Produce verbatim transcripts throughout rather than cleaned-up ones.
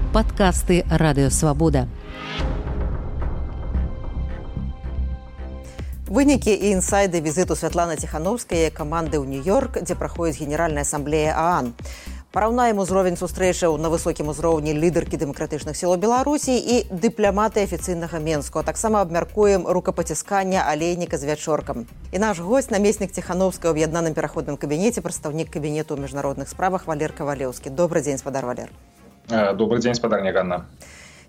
Падкасты Радыёвабода. Вынікі і інсайды візіту Святланы Ціхановскай каманды ў Нью-Йорк, дзе праходзіць Генеральная асамблея ААН. Параўнаем узровень сустрэчаў на высокім узроўні лідаркі дэмакратычных сілаў Беларусі і дыпламаты афіцыйнага Менску. Таксама абмяркуем рукапаціскання алейніка з вячоркам. І наш госць, намеснік Ціхановскай ў аб'яднаным пераходным кабінеце, прадстаўнік кабінету ў міжнародных справах Валер Кавалеўскі. Добрый дзень, спадар Валер. Добрый дзень, спадарня Ганна.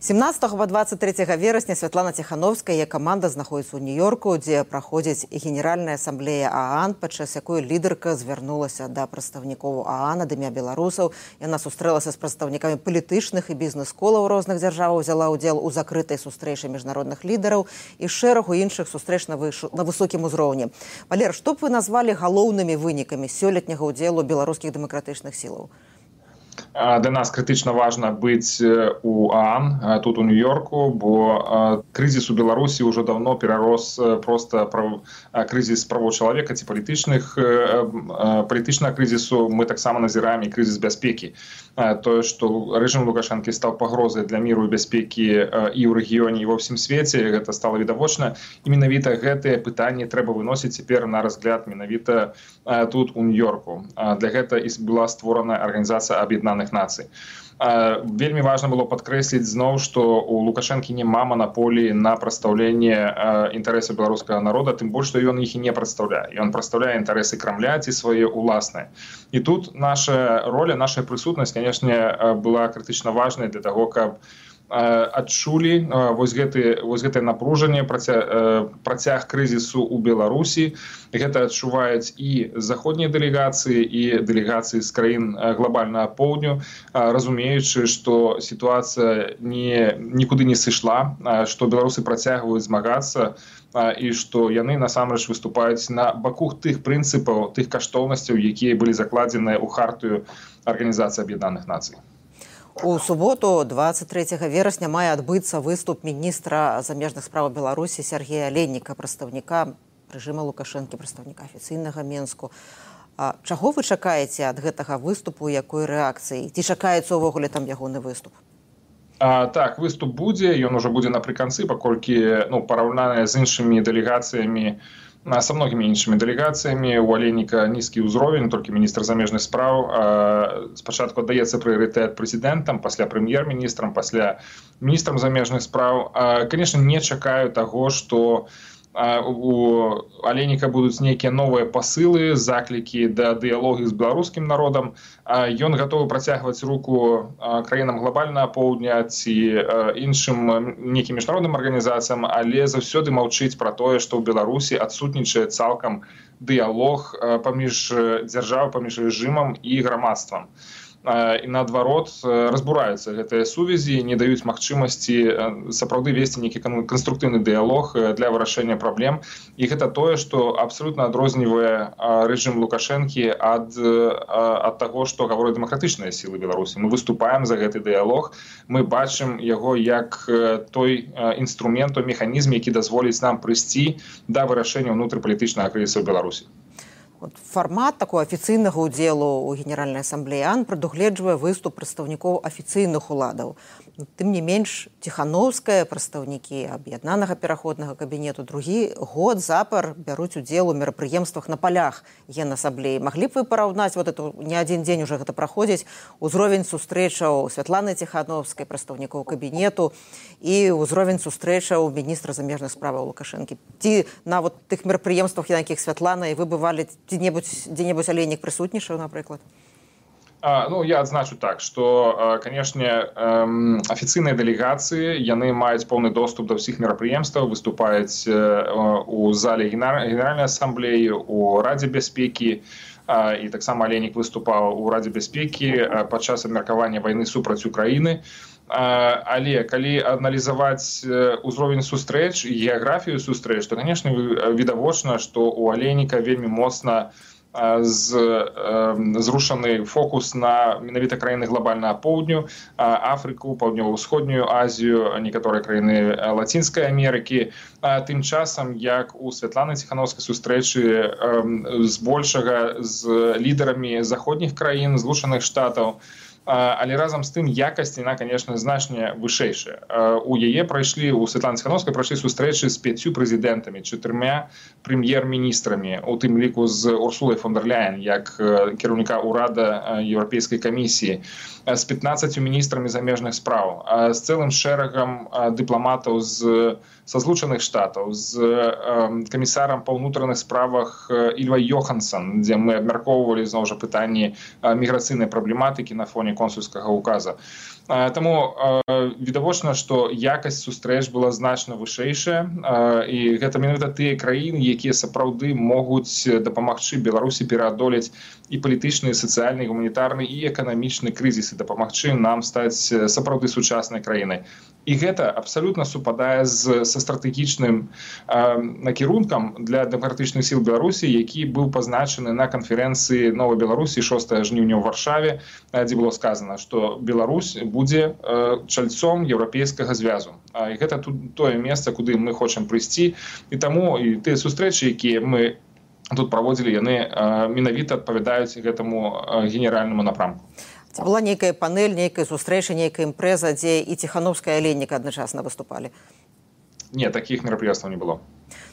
семнадцатага па дваццаць трэцяга верасня Святлана Ціхановская і каманда знаходзіцца ў Нью-Йорку, дзе праходзіць Генеральная асамблея ААН, падчас якой лідарка звярнулася да прадстаўнікоў ААН ад імя беларусаў. Яна сустрэлася з прадстаўнікамі палітычных і бізнес-колаў розных дзяржаваў, узяла ўдзел у закрытай сустрэчы міжнародных лідараў і шэрагу іншых сустрэч на, выш... на высокім узроўні. Валер, што б вы назвалі галоўнымі вынікамі сёлетняга ўдзелу беларускіх дэмакратычных сілаў? Для нас критично важно быть у ААН, тут у Нью-Йорку, бо кризис у Беларуси уже давно перерос просто прав... кризис правоў чалавека ці палітычных палітычнага кризису. Мы таксама назіраем і кризис бяспекі. Тое, што рэжым Лукашэнкі стаў пагрозай для міру і бяспекі і ў рэгіёне, і ва ўсім свеце, гэта стала відавочна. І менавіта гэтыя пытанні трэба выносіць цяпер на разгляд менавіта тут у Нью-Йорку. Для гэта і была створана арганізацыя Аб'яднаных Нацый. Вельмі важна было падкрэсліць зноў, што у Лукашэнкі няма манаполіі на прадстаўленне інтарэсаў беларускага народа, тым больш, што ён іх і не прадстаўляе. Ён прадстаўляе інтарэсы Крамля ці свае ўласныя. І тут наша роля, наша прысутнасць, канешне, была крытычна важнай для таго, каб адчулі вось гэты вось гэтае напружанне, працяг, працяг крызісу ў Беларусі. Гэта адчуваюць і заходнія дэлегацыі, і дэлегацыі з краін глобальнага поўдню, разумеючы, што сітуацыя не, нікуды не сышла, што беларусы працягваюць змагацца і што яны насамрэч выступаюць на баку тых прынцыпаў, тых каштоўнасцяў, якія былі закладзеныя ў хартыю Арганізацыі Аб'яднаных Нацый. У суботу, дваццаць трэцяга верасня, мае адбыцца выступ міністра замежных справаў Беларусі Сергея Алейніка, прадстаўніка рэжыма Лукашэнкі, прадстаўніка афіцыйнага Менску. А чаго вы чакаеце ад гэтага выступу, якой рэакцыі? Ці чакаецца ўвогуле там ягоны выступ? А, так, выступ будзе, ён ужо будзе напрыканцы, паколькі ну, параўнаныя з іншымі дэлегацыямі, са многімі іншымі дэлегацыямі. У Алейніка нізкі ўзровень, толькі міністр замежных спраў. Спачатку аддаецца прыярытэт прэзідэнтам, пасля прэм'ер-міністрам, пасля міністрам замежных спраў. Канешне, не чакаю таго, што у Алейніка будуць нейкія новыя пасылы, заклікі да дыялогу з беларускім народам. Ён гатовы працягваць руку краінам глобальнага поўдня ці іншым нейкім міжнародным арганізацыям, але заўсёды маўчыць пра тое, што ў Беларусі адсутнічае цалкам дыялог паміж дзяржавай, паміж рэжымам і грамадствам. І наадварот разбураюцца гэтыя сувязі, не даюць магчымасці сапраўды весці нейкі канструктыўны дыялог для вырашэння праблем. І гэта тое, што абсалютна адрознівае рэжым Лукашэнкі ад, ад таго, што гавораць дэмакратычныя сілы Беларусі. Мы выступаем за гэты дыялог, мы бачым яго як той інструмент, той механізм, які дазволіць нам прыйсці да вырашэння ўнутрыпалітычнага крызісу ў Беларусі. Фармат такого афіцыйнага ўдзелу ў Генеральнай асамблеі ААН прадугледжвае выступ прадстаўнікоў афіцыйных уладаў. Тым не менш, Ціхановская, прадстаўнікі аб'яднанага пераходнага кабінету другі год запар бяруць удзел у мерапрыемствах на палях Генасамблеі. Маглі б вы параўнаць, вот это не адзін дзень уже гэта праходзіць, узровень сустрэчаў Святланы Ціхановскай, прадстаўнікоў кабінету, і ўзровень сустрэчаў міністра замежных справаў Лукашэнкі? Ці на вот тых мерапрыемствах, на якіх Святлана і вы бывалі, дзе-небудзь Алейнік прысутнічаў, напрыклад? А, ну, я адзначу так, што, канешне, афіцыйныя дэлегацыі, яны маюць поўны доступ да ўсіх мерапрыемстваў, выступаюць у зале Генеральнай асамблеі, у Радзе бяспекі, і таксама Алейнік выступаў у Радзе бяспекі падчас абмеркавання вайны супраць Украіны. Але калі аналізаваць узровень сустрэч і геаграфію сустрэч, то, канешне, відавочна, што у Алейніка вельмі моцна з, зрушаны фокус на менавіта краіны глобальнага поўдню, Афрыку, паўднёва-ўсходнюю Азію, некаторыя краіны Лацінскай Амерыкі. Тым часам, як у Святланы Ціхановскай сустрэчы збольшага з лідарамі заходніх краін, Злучаных Штатаў, але разам з тым якасць яна, конечно, значна вышэйшая. У яе прайшлі, у Святланы Ціхановскай прайшлі сустрэчы з пяццю прэзідэнтамі, чатырма прэм'ер-міністрамі, у тым ліку з Урсулай фон дер Ляйен, як кіраўніка ўрада Еўрапейскай камісіі, з пятнаццаццю міністрамі замежных спраў, з цэлым шэрагам дыпламатаў з са Злучаных Штатаў, з камісарам па ўнутраных справах Ільвай Йохансон, дзе мы абмяркоўвалі зноў жа пытанні міграцыйнай праблематыкі на фоне консульскага указа. Таму відавочна, што якасць сустрэч была значна вышэйшая, і гэта менавіта тыя краіны, якія сапраўды могуць дапамагчы Беларусі пераадолець і палітычны, і сацыяльны, і гуманітарны, і эканамічны крызіс, і дапамагчы нам стаць сапраўды сучаснай краінай. І гэта абсалютна супадае з, са стратэгічным э, накірункам для дэмакратычных сіл Беларусі, які быў пазначаны на канферэнцыі Новай Беларусі шостага жніўня ў Варшаве, дзе было сказана, што Беларусь будзе э, чальцом еўрапейскага звязу. І гэта тут тое месца, куды мы хочам прыйсці. І таму і тыя сустрэчы, якія мы тут праводзілі, яны э, менавіта адпавядаюць гэтаму э, генеральнаму напрамку. Ці была нейкая панель, нейкая сустрэча, нейкая імпрэза, дзе і Ціхановская, і Алейнік адначасна выступалі? Не, такіх мерапрыемстваў не было.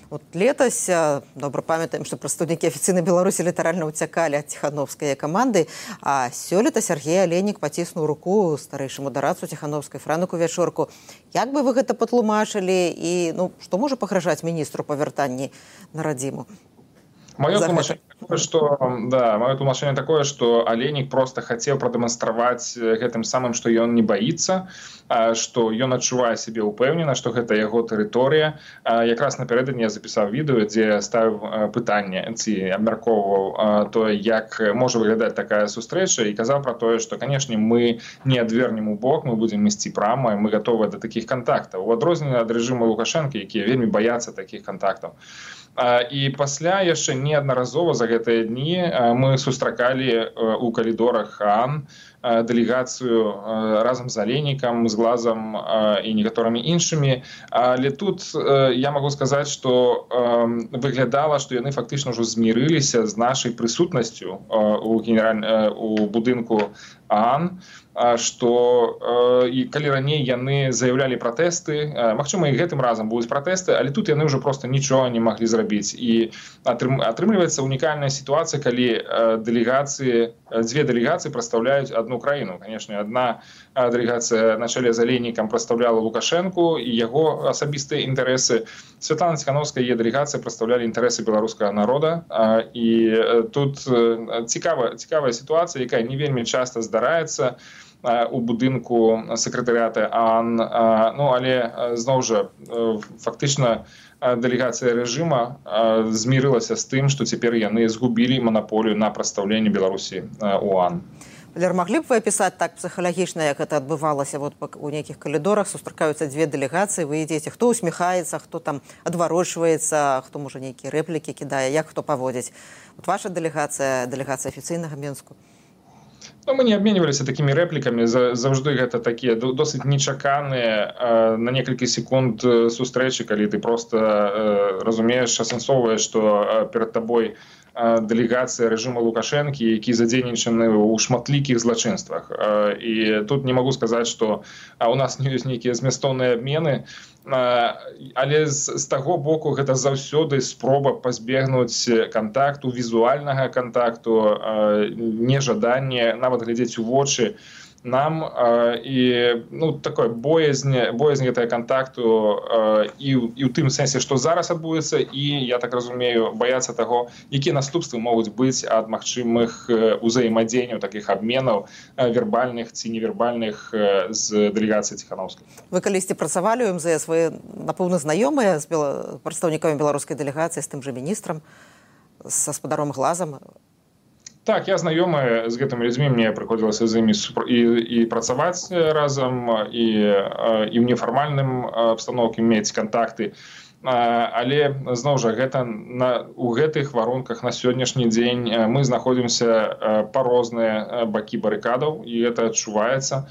Вот летась, добра памятаем, што прадстаўнікі афіцыйнай Беларусі літаральна ўцякалі ад Ціхановскай каманды, а сёлета Сергей Алейнік паціснуў руку старэйшаму дарадцу Ціхановскай Франіку Вячорку. Як бы вы гэта патлумачылі і ну, што можа пагражаць міністру па вяртанні на радзіму? Мое тлумачэнне такое, што да, маё тлумачэнне такое, што Алейнік проста хацеў прадэманстраваць гэтым самым, што ён не баіцца, што ён адчувае сябе ўпэўнена, што гэта яго тэрыторыя. Якраз напярэдадні я запісаў відэо, дзе ставіў пытанне ці абмяркоўваў тое, як можа выглядаць такая сустрэча, і казаў пра тое, што, канешне, мы не адвернем у бок, мы будзем ісці прама, і мы гатовыя да такіх кантактаў. У адрозненне ад рэжыму Лукашэнкі, якія вельмі баяцца такіх кантактаў. І пасля яшчэ неаднаразова за гэтыя дні мы сустракалі ў калідорах ААН дэлегацыю разам з Алейнікам, з Глазам і некаторымі іншымі. Але тут я магу сказаць, што выглядала, што яны фактычна ўжо змірыліся з нашай прысутнасцю у, генераль... у будынку ААН, што і калі раней яны заяўлялі пратэсты, магчыма, і гэтым разам будуць пратэсты, але тут яны ўжо проста нічога не маглі зрабіць. І атрымліваецца унікальная сітуацыя, калі дэлегацыі, дзве дэлегацыі прадстаўляюць одну краіну. Конечно, одна дэлегацыя на чале з Алейнікам прадстаўляла Лукашэнку і яго асабістыя інтарэсы. Святлана Ціхановская і яе дэлегацыя прадстаўлялі інтарэсы беларускага народа. І тут цікавая, цікавая сітуацыя, якая не вельмі часта здараецца у будынку сакратарыята ААН. Ну, але зноў жа фактычна дэлегацыя рэжыма змірылася з тым, што цяпер яны згубілі манаполію на прадстаўленне Беларусі у ААН. Валер, маглі б вы апісаць так псіхалагічна, як гэта адбывалася вот у нейкіх калідорах, сустракаюцца дзве дэлегацыі, вы ідзеце, хто усміхаецца, хто там адварочваецца, хто можа нейкія рэплікі кідае, як хто паводзіць? Вот ваша дэлегацыя, дэлегацыя афіцыйнага Мінску. Ну, мы не обменивались такими репликами, завжди гэта такие досыць нечаканыя на некалькі секунд сустрэчы, калі ты просто разумееш, асэнсоўваеш, што перад табой дэлегацыя рэжыма Лукашэнкі, які задзейнічаны ў шматлікіх злачынствах. І тут не магу сказаць, што у нас не ёсць нейкія змястоўныя абмены, але з, з таго боку гэта заўсёды спроба пазбегнуць кантакту, візуальнага кантакту, нежаданне нават глядзець у вочы нам, і ну, такое боязнь, боязнь гэтага кантакту і, і ў тым сэнсе, што зараз адбудзецца, і, я так разумею, баяцца таго, якія наступствы могуць быць ад магчымых узаемадзеянняў, такіх абменаў вербальных ці невербальных з дэлегацыяй Ціхановскай. Вы калісьці працавалі ў эм зэ эс, вы, напэўна, знаёмыя з бела... прадстаўнікамі беларускай дэлегацыі, з тым жа міністрам, з гаспадаром Глазам? Так, я знаёмы з гэтымі людзьмі, мне прыходзілася з імі і, і працаваць разам, і, і ў нефармальным абстаноўкі мець кантакты. Але, зноў жа, гэта на, у гэтых варунках на сённяшні дзень мы знаходзімся па розныя бакі барыкадаў, і гэта адчуваецца.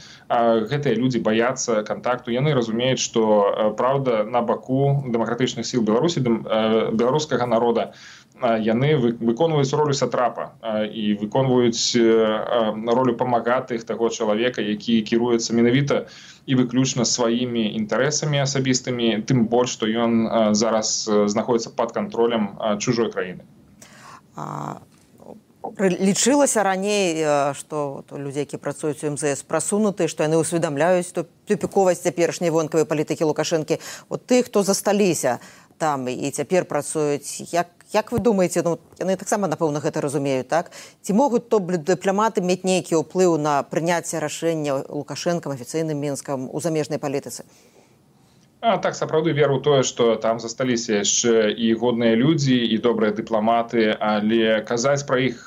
Гэтыя людзі баяцца кантакту, яны разумеюць, што праўда на баку дэмакратычных сіл Беларусі, беларускага народа, яны выконваюць ролю сатрапа і выконваюць ролю памагатых таго чалавека, які кіруецца менавіта і выключна сваімі інтарэсамі асабістымі, тым больш, што ён зараз знаходзіцца пад кантролем чужой краіны. Лічылася раней, што людзі, які працуюць у эм зэ эс, прасунутыя, што яны ўсведамляюць тупіковасць цяперашняй вонкавай палітыкі Лукашэнкі. От тых, хто засталіся там і цяпер працуюць, як, як вы думаеце, ну, яны таксама, напэўна, гэта разумеюць, так? Ці могуць то дыпламаты мець нейкі ўплыў на прыняцце рашэння Лукашэнкам, афіцыйным Мінскам у замежнай палітыцы? А, так, сапраўды веру тое, што там засталіся яшчэ і годныя людзі, і добрыя дыпламаты, але казаць пра іх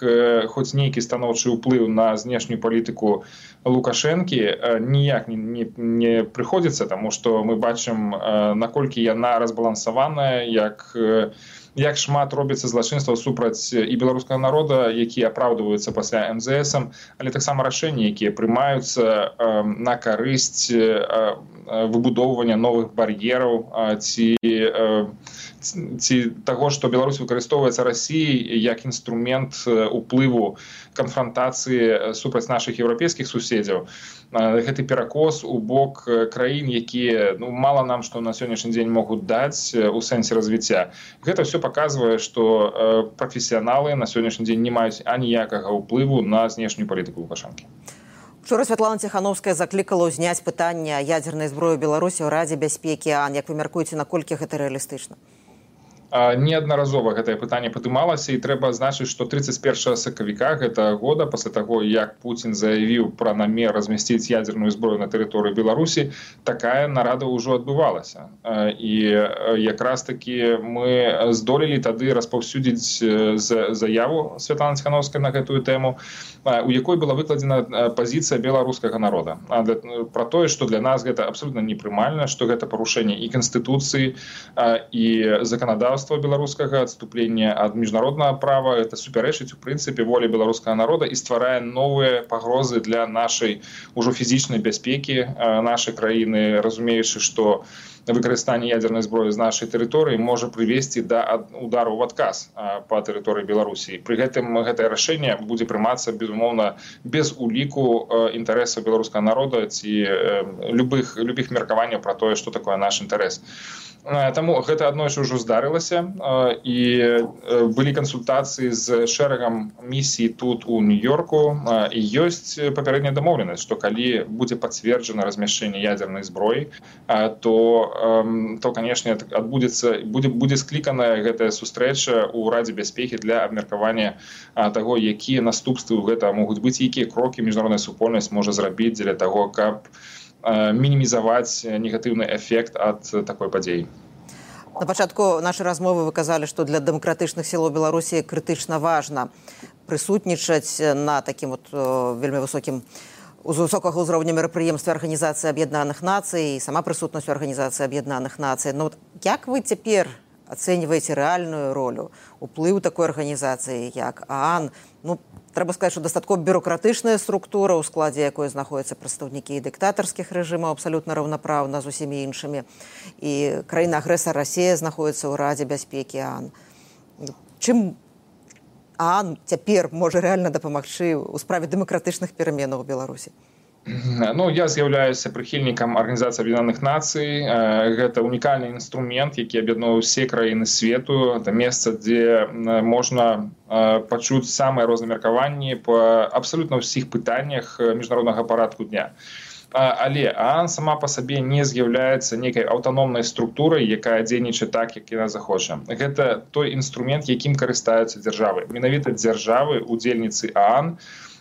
хоць нейкі станоўчы ўплыў на знешнюю палітыку Лукашэнкі ніяк не, не, не прыходзіцца, таму што мы бачым, наколькі яна разбалансаваная, як як шмат робіцца злачынстваў супраць і беларускага народа, якія апраўдваюцца пасля эм зэ эсам, але таксама рашэнні, якія прымаюцца на карысць выбудоўвання новых бар'ераў ці, ці таго, што Беларусь выкарыстоўваецца Расіяй як інструмент уплыву канфрантацыі супраць нашых еўрапейскіх суседзяў. Гэты перакос у бок краін, якія, ну, мала нам што на сённяшні дзень могуць даць у сэнсе развіцця. Гэта все паказвае, што прафесіяналы на сённяшні дзень не маюць аніякага ўплыву на знешнюю палітыку Лукашэнкі. Учора Святлана Ціхановская заклікала ўзняць пытанне ядзернай зброі Беларусі ў Радзе бяспекі ААН. Як вы мяркуеце, наколькі гэта рэалістычна? Неаднаразова гэтае пытанне падымалася, і трэба адзначыць, што тридцать першага сакавіка гэтага года, пасля таго, як Пуцін заявіў пра намер размясціць ядзерную зброю на тэрыторыі Беларусі, такая нарада ўжо адбывалася. І якраз такі мы здолелі тады распаўсюдзіць заяву Святланы Ціхановскай на гэтую тэму, у якой была выкладзена пазіцыя беларускага народа. Пра тое, што для нас гэта абсолютна непрымальна, што гэта парушэнне і Канстытуцыі, і заканадаўства беларускага, адступлення ад міжнароднага права, это супярэчыць у прынцыпе волі беларускага народа і стварае новыя пагрозы для нашай ужо фізічнай бяспекі нашай краіны, разумеючы, што выкарыстанне ядзернай зброі з нашай тэрыторыі можа прывесці да удару ў адказ па тэрыторыі Беларусі. Пры гэтым гэтае рашэнне будзе прымацца, безумоўна, без уліку інтарэсаў беларускага народа ці любых, любых меркаванняў пра тое, што такое наш інтарэс. Таму гэта аднойчы ўжо здарылася, і былі кансультацыі з шэрагам місій тут у Нью-Йорку, і ёсць папярэдняя дамоўленасць, што калі будзе пацверджана размяшчэнне ядзернай зброі, то, то канешне, адбудзецца, будзе, будзе скліканая гэтая сустрэча ў Радзе бяспекі для абмеркавання таго, якія наступствы ў гэта могуць быць, якія крокі міжнародная супольнасць можа зрабіць для таго, каб мінімізаваць негатыўны эфект ад такой падзеі. На пачатку нашай размовы вы казалі, што для дэмакратычных сілаў Беларусі крытычна важна прысутнічаць на такім вот вельмі высокім з высокага ўзроўня мерапрыемстве Арганізацыі Аб'яднаных Нацый і сама прысутнасць у Арганізацыі Аб'яднаных Нацый. Ну, як вы цяпер ацэньваеце рэальную ролю, уплыў такой арганізацыі, як ААН? Ну, трэба сказаць, што дастаткова бюрократычная структура, у складзе якой знаходзяцца прадстаўнікі дыктатарскіх рэжымаў, абсалютна раўнапраўна з усімі іншымі. І краіна-агрэсар Расія знаходзіцца ў Радзе бяспекі ААН. Чым ААН цяпер можа рэальна дапамагчы ў справе дэмакратычных пераменаў у Беларусі? Ну, я з'яўляюся прыхільнікам Арганізацыі Аб'яднаных Нацый. Гэта унікальны інструмент, які аб'ядноўвае ўсе краіны свету. Это месца, дзе можна пачуць самыя розныя меркаванні па абсалютна ўсіх пытаннях міжнароднага парадку дня. Але ААН сама па сабе не з'яўляецца нейкай аўтаномнай структурай, якая дзейнічае так, як яна захоча. Гэта той інструмент, якім карыстаюцца дзяржавы. Менавіта дзяржавы, удзельніцы ААН,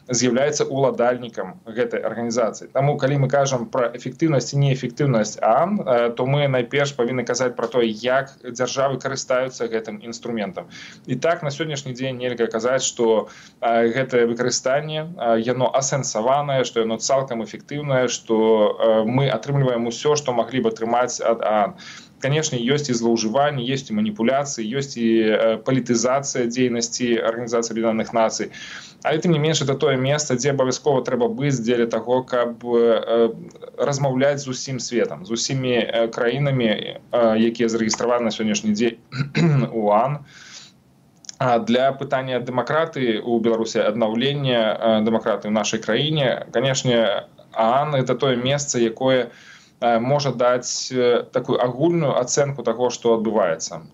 з'яўляецца уладальнікам гэтай арганізацыі. Таму, калі мы кажам пра эфектыўнасць і неэфектыўнасць ААН, то мы найперш павінны казаць пра тое, як дзяржавы карыстаюцца гэтым інструментам. І так, на сённяшні дзень нельга казаць, што гэтае выкарыстанне, яно асэнсаванае, што яно цалкам эфектыўнае, што мы атрымліваем усё, што маглі б атрымаць ад ААН. Конечно, ёсць і злоўжыванні, ёсць і маніпуляцыі, ёсць і палітызацыя дзейнасці Арганізацыі Аб'яднаных Нацый. Але тым не менш, это тое месца, дзе абавязкова трэба быць дзеля таго, каб размаўляць з усім светам, з усімі краінамі, якія зарэгістраваны на сённяшні дзень у ААН. Для пытання дэмакратыі ў Беларусі, аднаўлення дэмакратыі ў нашай краіне, канешне, ААН – это тое месца, якое можа даць такую агульную ацэнку таго, што адбываецца.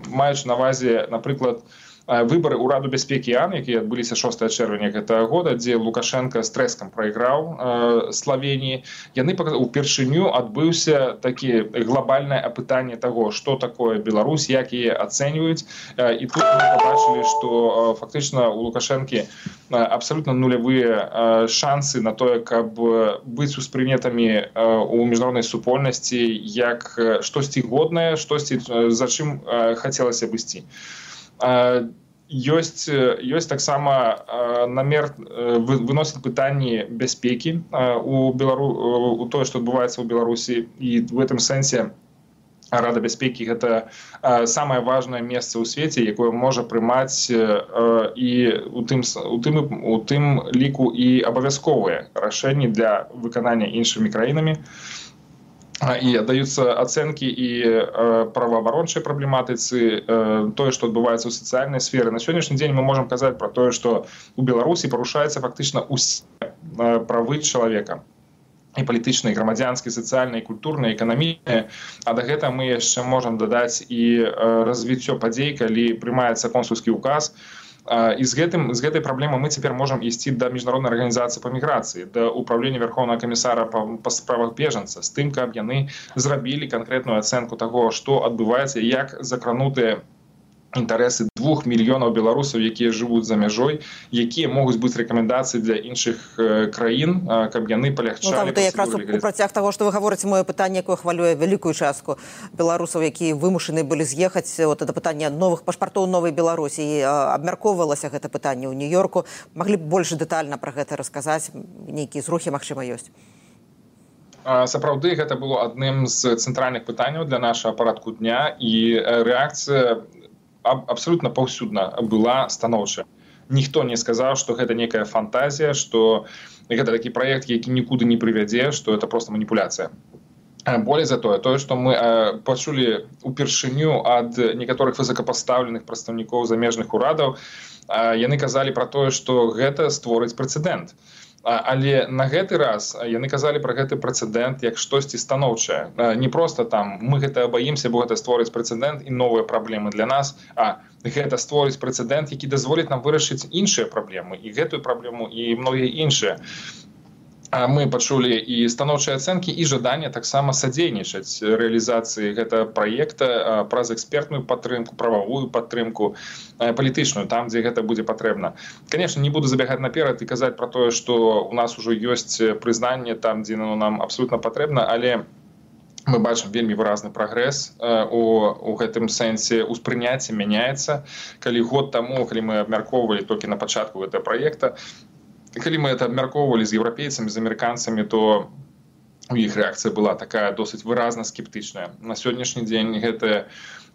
Маючы на ўвазе, напрыклад, выборы ў Раду бяспекі ААН, якія адбыліся шостага чэрвеня гэтага года, дзе Лукашенко з трэскам прайграў э, Славеніі, яны упершыню адбыўся такі глобальнае апытанне таго, што такое Беларусь, як яе ацэньваюць. Э, і тут мы побачылі, што э, фактычна у Лукашэнкі э, абсалютна нулявыя э, шансы на тое, каб быць успрынятымі э, у міжнароднай супольнасці як штосьці годнае, штосьці, за чым э, хацелася б ісці. Ёсць, ёсць таксама намер выносіць пытанні бяспекі у, Белару... у тое, што адбываецца ў Беларусі. І в гэтым сэнсе Рада бяспекі – гэта самае важнае месца ў свеце, якое можа прымаць і у тым, у тым, у тым ліку і абавязковыя рашэнні для выканання іншымі краінамі. І даюцца ацэнкі і праваабарончай праблематыцы, тое, што адбываецца ў сацыяльнай сферы. На сённяшні дзень мы можам казаць пра тое, што ў Беларусі парушаюцца фактычна ўсе правы чалавека. І палітычныя, і грамадзянскія, сацыяльныя, культурныя, эканамічныя. А да гэтага мы яшчэ можам дадаць і развіццё падзей, калі прымаецца консульскі ўказ. І з, гэтым, з гэтай праблемай мы цяпер можам ісці да міжнароднай арганізацыі па міграцыі, да ўправлення Верховнага камісара па, па справах бежанца, з тым, каб яны зрабілі канкрэтную ацэнку таго, што адбываецца, як закранутыя інтарэсы двух мільёнаў беларусаў, якія жывуць за мяжой, якія могуць быць рэкамендацыі для іншых краін, каб яны палягчалі. Ну, там, якраз у працяг таго, што вы гаворыце, маё пытанне, якое хвалюе вялікую частку беларусаў, якія вымушаны былі з'ехаць, вот это пытанне новых пашпартоў новай Беларусі, абмяркоўвалася гэта пытанне ў Нью-Йорку. Маглі б больш дэтальна пра гэта расказаць, нейкія зрухі, магчыма, ёсць? Сапраўды, гэта было адным з цэнтральных пытанняў для нашага парадку дня, і рэакцыя абсолютно паўсюдна была станоўчая. Ніхто не сказаў, што гэта некая фантазія, што гэта такі праект, які нікуды не прывядзе, што это проста маніпуляцыя. Болей за тое, тое, што мы пачулі упершыню ад некаторых высокапастаўленых прадстаўнікоў замежных урадаў, яны казалі пра тое, што гэта створыць прэцэдэнт. Але на гэты раз яны казалі пра гэты прэцэдэнт як штосьці станоўчае. Не проста там мы гэта баімся, бо гэта створыць прэцэдэнт і новыя праблемы для нас, а гэта створыць прэцэдэнт, які дазволіць нам вырашыць іншыя праблемы, і гэтую праблему, і многія іншыя. Мы пачулі і станоўчыя ацэнкі, і жаданне таксама садзейнічаць рэалізацыі гэтага праекта праз экспертную падтрымку, прававую падтрымку, палітычную, там, дзе гэта будзе патрэбна. Канешне, не буду забягаць наперад і казаць пра тое, што у нас ужо ёсць прызнанне там, дзе оно нам абсолютна патрэбна, але мы бачым вельмі выразны прагрэс у, у гэтым сэнсе, успрыняцце мяняецца. Калі год таму, калі мы абмяркоўвалі толькі на пачатку гэтага праекта, калі мы это абмяркоўвалі з еўрапейцамі, з амерыканцамі, то у іх рэакцыя была такая досыць выразна скептычная. На сённяшні дзень гэтае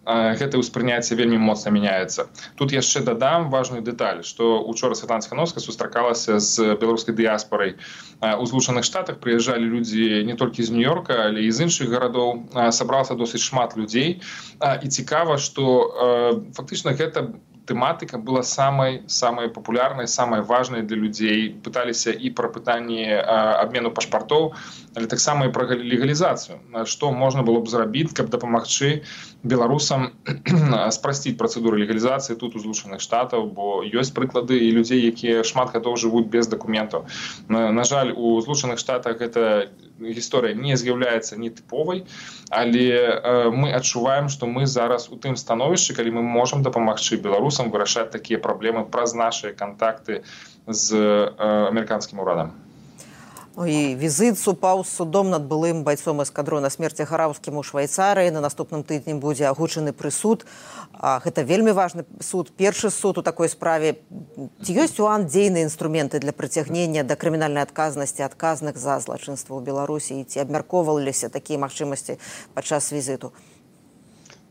гэтае ўспрыняцце вельмі моцна мяняецца. Тут яшчэ дадам важную дэталь, што учора Святлана Ціхановская сустракалася з беларускай дыяспорай у Злучаных Штатах, прыязджалі людзі не толькі з Нью-Йорка, але і з іншых гарадоў, сабралася досыць шмат людзей. І цікава, што фактычна гэта тэматыка была самай самай папулярнай, самай важнай для людзей. Пыталіся і пра пытанні абмену пашпартоў, але таксама і пра легалізацыю. Што можна было б зрабіць, каб дапамагчы беларусам спрасціць працэдуру легалізацыі тут у Злучаных Штатаў, бо ёсць прыклады і людзей, якія шмат гадоў жывуць без дакументаў. На, на жаль, у Злучаных Штатах гэта гісторыя не з'яўляецца нетыповай, але э, мы адчуваем, што мы зараз у тым становішчы, калі мы можам дапамагчы беларусам вырашаць такія праблемы праз нашыя кантакты з э, амерыканскім урадам. І візит супаў з судом над былым байцом эскадрона смерці Гараўскім у Швайцарыі. На наступным тыдні будзе агучаны прысуд. Гэта вельмі важны суд, першы суд у такой справе. Ці ёсць у ААН дзейныя інструменты для прыцягнення да крымінальнай адказнасці адказных за злачынства ў Беларусі? Ці абмяркоўваліся такія магчымасці падчас візіту?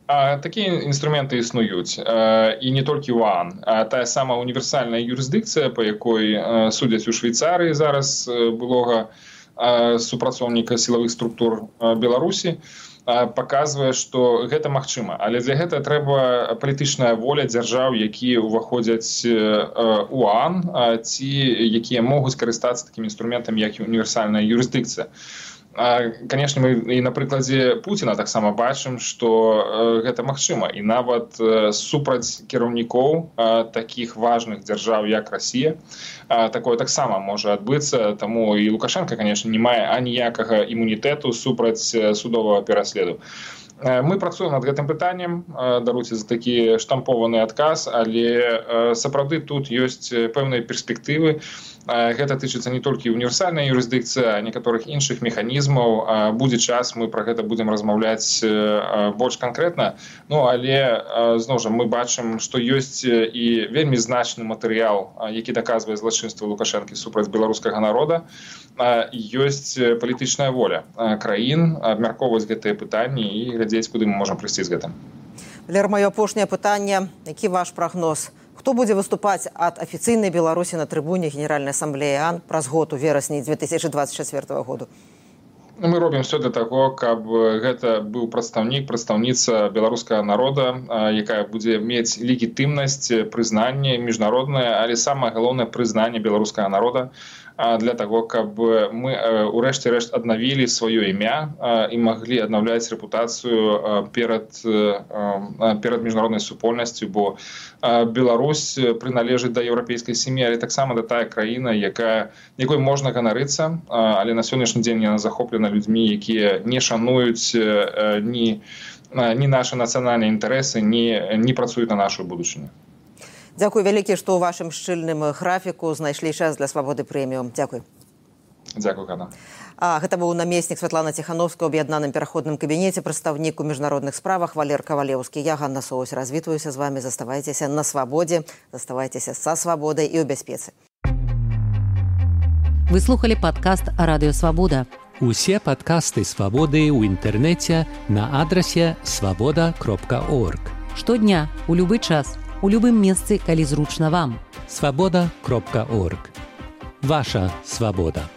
Такія інструменты існуюць, і не толькі ў ААН. Тая самая універсальная юрысдыкцыя, па якой судзяць у Швейцарыі зараз былога супрацоўніка сілавых структур Беларусі, паказвае, што гэта магчыма. Але для гэта трэба палітычная воля дзяржаў, якія ўваходзяць у ААН, ці якія могуць карыстацца такімі інструментамі, як універсальная юрысдыкцыя. Канешне, мы і на прыкладзе Пуціна таксама бачым, што гэта магчыма. І нават супраць кіраўнікоў такіх важных дзяржаў, як Расія, такое таксама можа адбыцца. Таму і Лукашенко, канешне, не мае аніякага імунітэту супраць судовага пераследу. Мы працуем над гэтым пытаннем, даруйце за такі штампованы адказ, але сапраўды тут ёсць пэўныя перспектывы. Гэта тычыцца не толькі універсальнай юрысдыкцыі, а некаторых іншых механізмаў. Будзе час, мы пра гэта будзем размаўляць больш канкрэтна. Ну, але, зноў жа, мы бачым, што ёсць і вельмі значны матэрыял, які даказвае злачынства Лукашэнкі супраць беларускага народа. Ёсць палітычная воля краін абмяркоўваць гэтыя пытанні і глядзець, куды мы можам прыйсці з гэтым. Валер, маё апошняе пытанне. Які ваш прагноз? Хто будзе выступаць ад афіцыйнай Беларусі на трыбуне Генеральнай асамблеі ААН праз год у верасні две тысячи двадцать четвёртого году? Мы робім все для таго, каб гэта быў прадстаўнік, прадстаўніца беларускага народа, якая будзе мець легітымнасць, прызнанне міжнароднае, але самае галоўнае прызнанне беларускага народа, для таго, каб мы урэшце рэшт аднавілі сваё імя і маглі аднаўляць рэпутацыю перад, перад міжнароднай супольнасцю, бо Беларусь прыналежыць да еўрапейскай сям'і, але таксама да тая краіна, якая, якой можна ганарыцца, але на сённяшні дзень яна захоплена людзьмі, якія не шануюць ні, ні нашы нацыянальныя інтарэсы, ні, не працуюць на нашу будучыню. Дзякуй вялікі, што ў вашым шчыльным графіку знайшлі час для свабоды прэміум. Дзякуй. Дзякуй, Ганна. А гэта быў намеснік Святлана Ціхановская ў аб'яднаным пераходным кабінеце, прадстаўнік у міжнародных справах Валер Кавалеўскі. Я, Ганна Соусь, развітваюся з вамі. Заставайцеся на свабодзе, заставайцеся са свабодай і ў бяспецы. Вы слухали падкаст «Радыё Свабода». Усе падкасты «Свабоды» ў інтэрнэце на адрасе свабода кропка орг. Штодня, у любы час, у любым месцы, калі зручна вам. свабода кропка орг. Ваша свабода.